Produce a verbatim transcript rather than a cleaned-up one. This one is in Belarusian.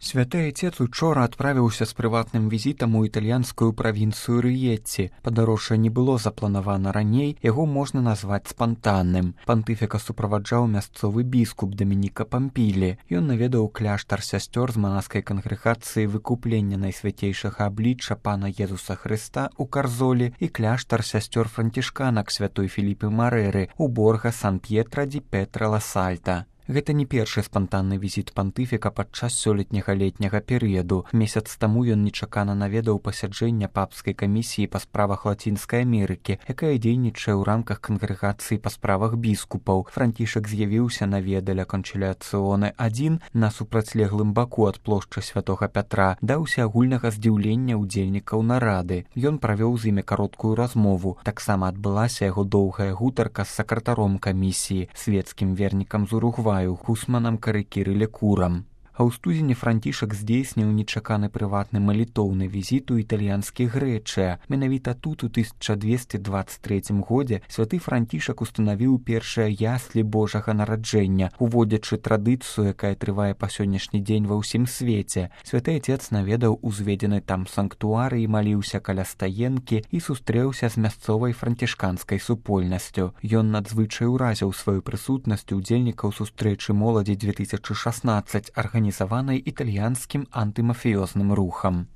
Святы Айцец учора адправіўся з прыватным візітам у італьянскую правінцыю Рыетці. Падарожжа не было запланавана раней, яго можна назваць спантанным. Пантыфіка суправаджаў мясцовы біскуп Дамініка Пампілі. Ён наведаў кляштар сясцёр з манаскай кангрэгацыі выкуплення найсвяцейшага аблічча пана Езуса Хрыста ў Карзолі і кляштар сясцёр францішканак святой Філіпы Марэры ў Борга Сан-П'етра ді Петра ла Сальта. Гэта не першы спантанны візіт пантыфіка падчас сёлетняга летняга перыяду. Месяц таму ён нечакана наведаў пасяджэння папскай камісіі па справах Лацінскай Амерыкі, якая дзейнічае ў рамках кангрэгацыі па справах біскупаў. Францішак з'явіўся на ведаля канчыляцыёны адзін на супрацьлеглым баку ад плошчы святога Пятра, даўся агульнага здзіўлення ўдзельнікаў нарады. Ён правёў з імі кароткую размову. Таксама адбылася яго доўгая гутарка з сакратаром камісіі, свецкім вернікам з Уругваю, Хусманам Карыкірыле Курам. А ў студзені Францішак здзейсніў нечаканы прыватны малітоўны візіт у італьянскі Грэчыя. Менавіта тут у тысяча дзвесце дваццаць трэцім годзе святы Францішак устанавіў першыя яслі Божага нараджэння, уводзячы традыцыю, якая трывае па сённяшні дзень ва ўсім свеце. Святы Айцец наведаў узведзены там санктуары і маліўся каля стаенкі і сустрэўся з мясцовай францішканскай супольнасцю. Ён надзвычай уразіў сваёй прысутнасцю удзельнікаў сустрэчы моладзі дзве тысячы шаснаццаць, арганізаванай італьянскім антымафіёзным рухам.